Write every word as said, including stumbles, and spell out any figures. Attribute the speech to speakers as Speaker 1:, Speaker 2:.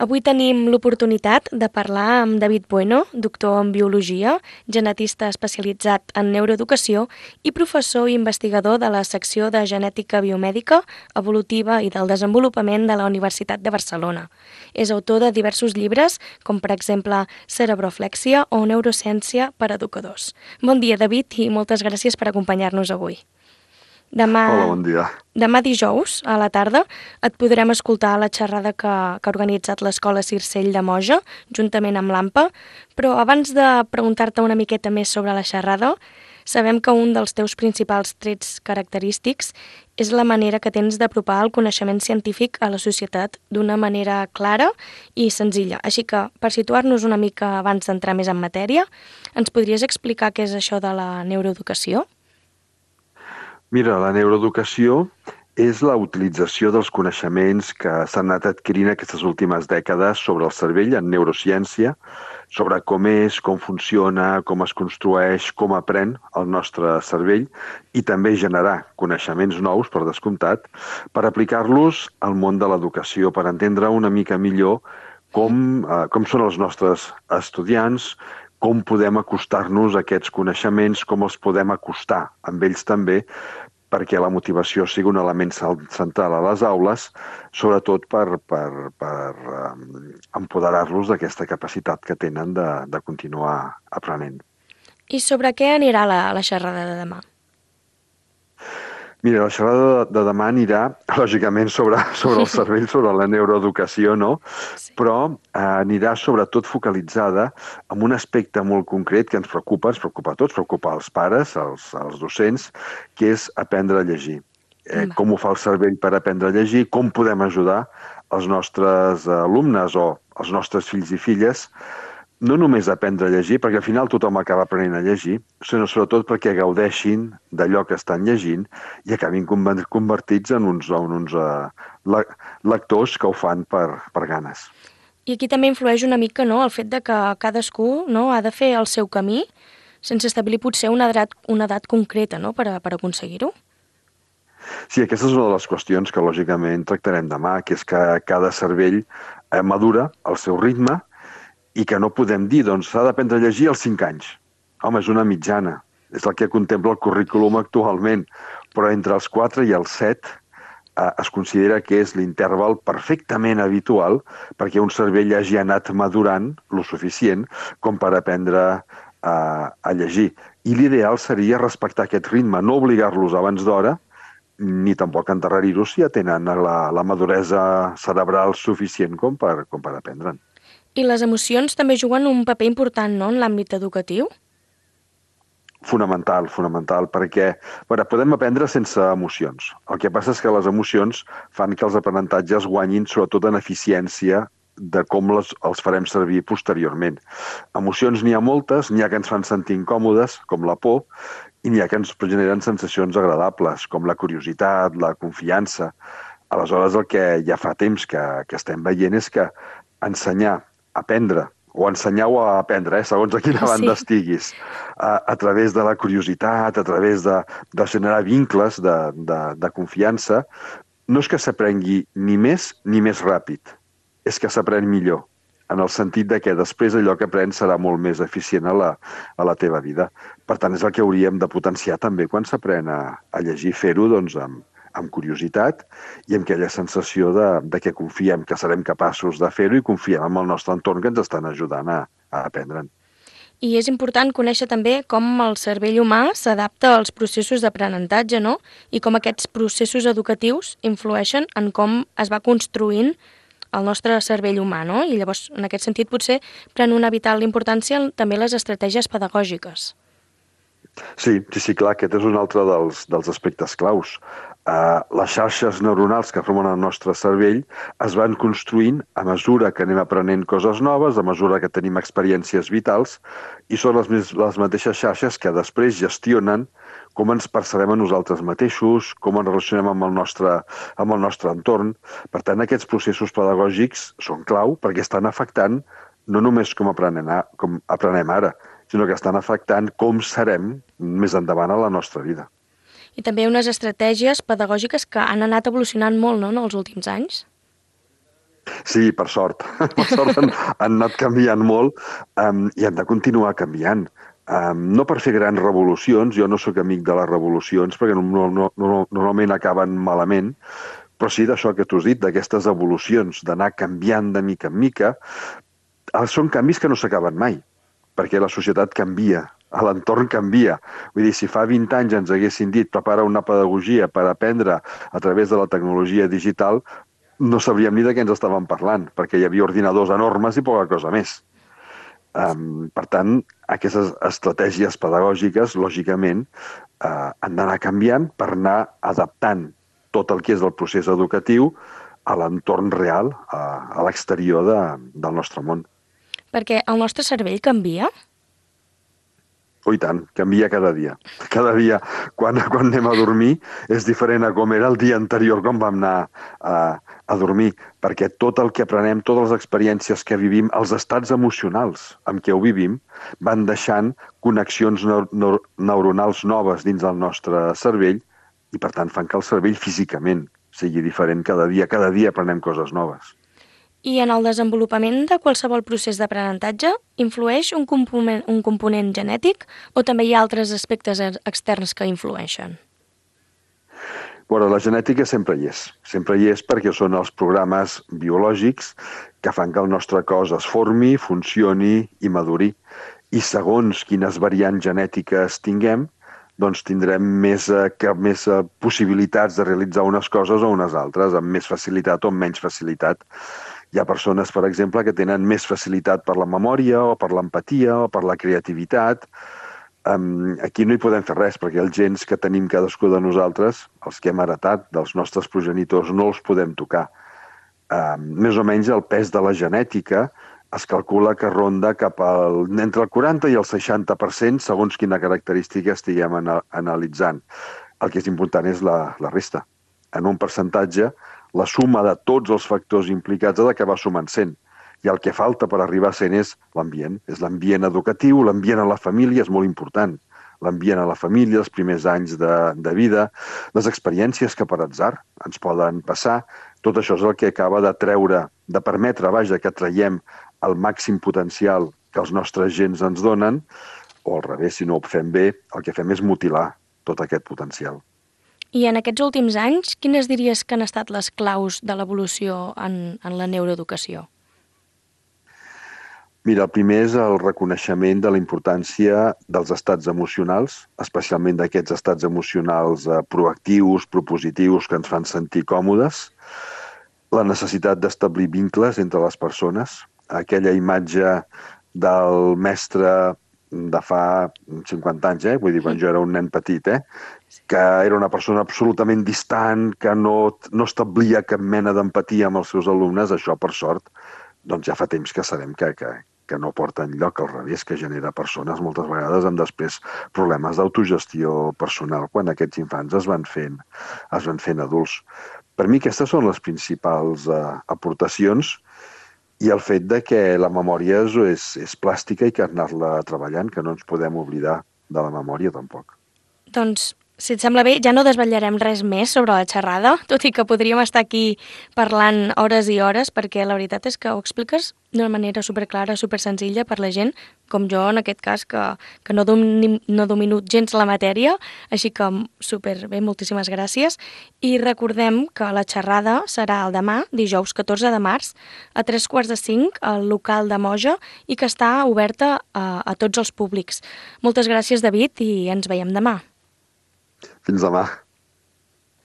Speaker 1: Avui tenim l'oportunitat de parlar amb David Bueno, doctor en Biologia, genetista especialitzat en neuroeducació i professor i investigador de la secció de Genètica Biomèdica, Evolutiva i del Desenvolupament de la Universitat de Barcelona. És autor de diversos llibres, com per exemple Cerebroflèxia o Neurociència per a educadors. Bon dia, David, i moltes gràcies per acompanyar-nos avui. Demà,
Speaker 2: Hola, bon dia.
Speaker 1: Demà dijous, a la tarda, et podrem escoltar la xerrada que, que ha organitzat l'Escola Circell de Moja, juntament amb l'AMPA, però abans de preguntar-te una miqueta més sobre la xerrada, sabem que un dels teus principals trets característics és la manera que tens d'apropar el coneixement científic a la societat d'una manera clara i senzilla. Així que, per situar-nos una mica abans d'entrar més en matèria, ens podries explicar què és això de la neuroeducació?
Speaker 2: Mira, la neuroeducació és la utilització dels coneixements que s'han anat adquirint aquestes últimes dècades sobre el cervell en neurociència, sobre com és, com funciona, com es construeix, com aprèn el nostre cervell i també generar coneixements nous, per descomptat, per aplicar-los al món de l'educació, per entendre una mica millor com, eh, com són els nostres estudiants, com podem acostar-nos a aquests coneixements, com els podem acostar amb ells també, perquè la motivació sigui un element central a les aules, sobretot per, per, per um, empoderar-los d'aquesta capacitat que tenen de, de continuar aprenent.
Speaker 1: I sobre què anirà la, la xerrada de demà?
Speaker 2: Mira, la xerrada de demà anirà, lògicament, sobre, sobre el cervell, sobre la neuroeducació, no?
Speaker 1: Sí.
Speaker 2: Però eh, anirà sobretot focalitzada en un aspecte molt concret que ens preocupa, ens preocupa a tots, preocupa als pares, als, als docents, que és aprendre a llegir. Eh, com ho fa el cervell per aprendre a llegir, com podem ajudar els nostres alumnes o els nostres fills i filles no només a aprendre a llegir, perquè al final tothom acaba aprenent a llegir, sinó sobretot perquè gaudeixin d'allò que estan llegint i acabin convertits en uns, en uns uh, lectors que ho fan per, per ganes.
Speaker 1: I aquí també influeix una mica, no?, el fet de que cadascú, no?, ha de fer el seu camí sense establir potser una edat, una edat concreta, no?, per, a, per aconseguir-ho.
Speaker 2: Sí, aquesta és una de les qüestions que lògicament tractarem demà, que és que cada cervell eh, madura al seu ritme i que no podem dir, doncs, s'ha d'aprendre a llegir als cinc anys. Home, és una mitjana. És el que contempla el currículum actualment. Però entre els quatre i els set eh, es considera que és l'interval perfectament habitual perquè un cervell hagi anat madurant lo suficient com per aprendre eh, a llegir. I l'ideal seria respectar aquest ritme, no obligar-los abans d'hora, ni tampoc endarrerir-los si ja tenen la, la maduresa cerebral suficient com per, com per aprendre'n.
Speaker 1: I les emocions també juguen un paper important, no?, en l'àmbit educatiu?
Speaker 2: Fonamental, fonamental, perquè bueno, podem aprendre sense emocions. El que passa és que les emocions fan que els aprenentatges guanyin sobretot en eficiència de com les, els farem servir posteriorment. Emocions n'hi ha moltes, n'hi ha que ens fan sentir incòmodes, com la por, i n'hi ha que ens generen sensacions agradables, com la curiositat, la confiança. Aleshores, el que ja fa temps que, que estem veient és que ensenyar aprendre, o ensenyar-ho a aprendre, eh, segons a quina banda sí. estiguis, a, a través de la curiositat, a través de, de generar vincles de, de, de confiança, no és que s'aprengui ni més ni més ràpid, és que s'aprèn millor, en el sentit de que després allò que aprens serà molt més eficient a la, a la teva vida. Per tant, és el que hauríem de potenciar també quan s'aprèn a, a llegir, fer-ho doncs, amb, amb curiositat i amb aquella sensació de, de que confiem que serem capaços de fer-ho i confiem en el nostre entorn que ens estan ajudant a, a aprendre'n.
Speaker 1: I és important conèixer també com el cervell humà s'adapta als processos d'aprenentatge, no?, i com aquests processos educatius influeixen en com es va construint el nostre cervell humà, no? I llavors, en aquest sentit, potser pren una vital importància també les estratègies pedagògiques.
Speaker 2: Sí, sí, sí, clar, aquest és un altre dels, dels aspectes claus. Uh, les xarxes neuronals que formen el nostre cervell es van construint a mesura que anem aprenent coses noves, a mesura que tenim experiències vitals, i són les, les mateixes xarxes que després gestionen com ens percebem a nosaltres mateixos, com ens relacionem amb el nostre, amb el nostre entorn. Per tant, aquests processos pedagògics són clau perquè estan afectant no només com aprenem, com aprenem ara, sinó que estan afectant com serem més endavant a la nostra vida.
Speaker 1: I també unes estratègies pedagògiques que han anat evolucionant molt, no?, en els últims anys.
Speaker 2: Sí, per sort. Per sort han, han anat canviant molt um, i han de continuar canviant. Um, no per fer grans revolucions, jo no sóc amic de les revolucions perquè no, no, no, no, normalment acaben malament, però sí d'això que tu has dit, d'aquestes evolucions, d'anar canviant de mica en mica. Ah, són canvis que no s'acaben mai, perquè la societat canvia, l'entorn canvia. Vull dir, si fa vint anys ens haguessin dit prepara una pedagogia per aprendre a través de la tecnologia digital, no sabríem ni de què ens estàvem parlant, perquè hi havia ordinadors enormes i poca cosa més. Um, per tant, aquestes estratègies pedagògiques, lògicament, uh, han d'anar canviant per anar adaptant tot el que és el procés educatiu a l'entorn real, a, a l'exterior de, del nostre món.
Speaker 1: Perquè el nostre cervell canvia?
Speaker 2: Oh, i tant, canvia cada dia. Cada dia, quan, quan anem a dormir, és diferent a com era el dia anterior quan vam anar a, a dormir, perquè tot el que aprenem, totes les experiències que vivim, els estats emocionals amb què ho vivim, van deixant connexions neur neur neuronals noves dins del nostre cervell i, per tant, fan que el cervell físicament sigui diferent cada dia. Cada dia aprenem coses noves.
Speaker 1: I en el desenvolupament de qualsevol procés d'aprenentatge influeix un component, un component genètic o també hi ha altres aspectes externs que influeixen?
Speaker 2: Bueno, la genètica sempre hi és. Sempre hi és perquè són els programes biològics que fan que el nostre cos es formi, funcioni i maduri. I segons quines variants genètiques tinguem, doncs tindrem més, eh, que, més eh, possibilitats de realitzar unes coses o unes altres, amb més facilitat o amb menys facilitat. Hi ha persones, per exemple, que tenen més facilitat per la memòria o per l'empatia o per la creativitat. Um, aquí no hi podem fer res, perquè els gens que tenim cadascú de nosaltres, els que hem heretat dels nostres progenitors, no els podem tocar. Um, més o menys el pes de la genètica es calcula que ronda cap al, entre el quaranta i el seixanta per cent segons quina característica estiguem ana, analitzant. El que és important és la, la resta. En un percentatge, la suma de tots els factors implicats ha d'acabar sumant cent. I el que falta per arribar a cent és l'ambient. És l'ambient educatiu, l'ambient a la família és molt important. L'ambient a la família, els primers anys de, de vida, les experiències que per atzar ens poden passar, tot això és el que acaba de treure, de permetre, vaja, que traiem el màxim potencial que els nostres gens ens donen, o al revés, si no ho fem bé, el que fem és mutilar tot aquest potencial.
Speaker 1: I en aquests últims anys, quines diries que han estat les claus de l'evolució en, en la neuroeducació?
Speaker 2: Mira, el primer és el reconeixement de la importància dels estats emocionals, especialment d'aquests estats emocionals eh, proactius, propositius, que ens fan sentir còmodes, la necessitat d'establir vincles entre les persones, aquella imatge del mestre de fa cinquanta anys, eh? Vull dir, quan jo era un nen petit, eh? Que era una persona absolutament distant, que no, no establia cap mena d'empatia amb els seus alumnes, això, per sort, doncs ja fa temps que sabem que, que, que no porta enlloc, al revés, que genera persones moltes vegades amb després problemes d'autogestió personal quan aquests infants es van fent, es van fent adults. Per mi aquestes són les principals eh, aportacions i el fet de que la memòria és, és, és plàstica i que anar-la treballant, que no ens podem oblidar de la memòria tampoc.
Speaker 1: Doncs, si et sembla bé, ja no desvetllarem res més sobre la xerrada, tot i que podríem estar aquí parlant hores i hores, perquè la veritat és que ho expliques d'una manera superclara, supersenzilla per la gent, com jo en aquest cas, que, que no, domino, no domino gens la matèria, així que superbé, moltíssimes gràcies. I recordem que la xerrada serà el demà, dijous catorze de març, a tres quarts de cinc, al local de Moja, i que està oberta a, a tots els públics. Moltes gràcies, David, i ens veiem demà.
Speaker 2: Fins demà.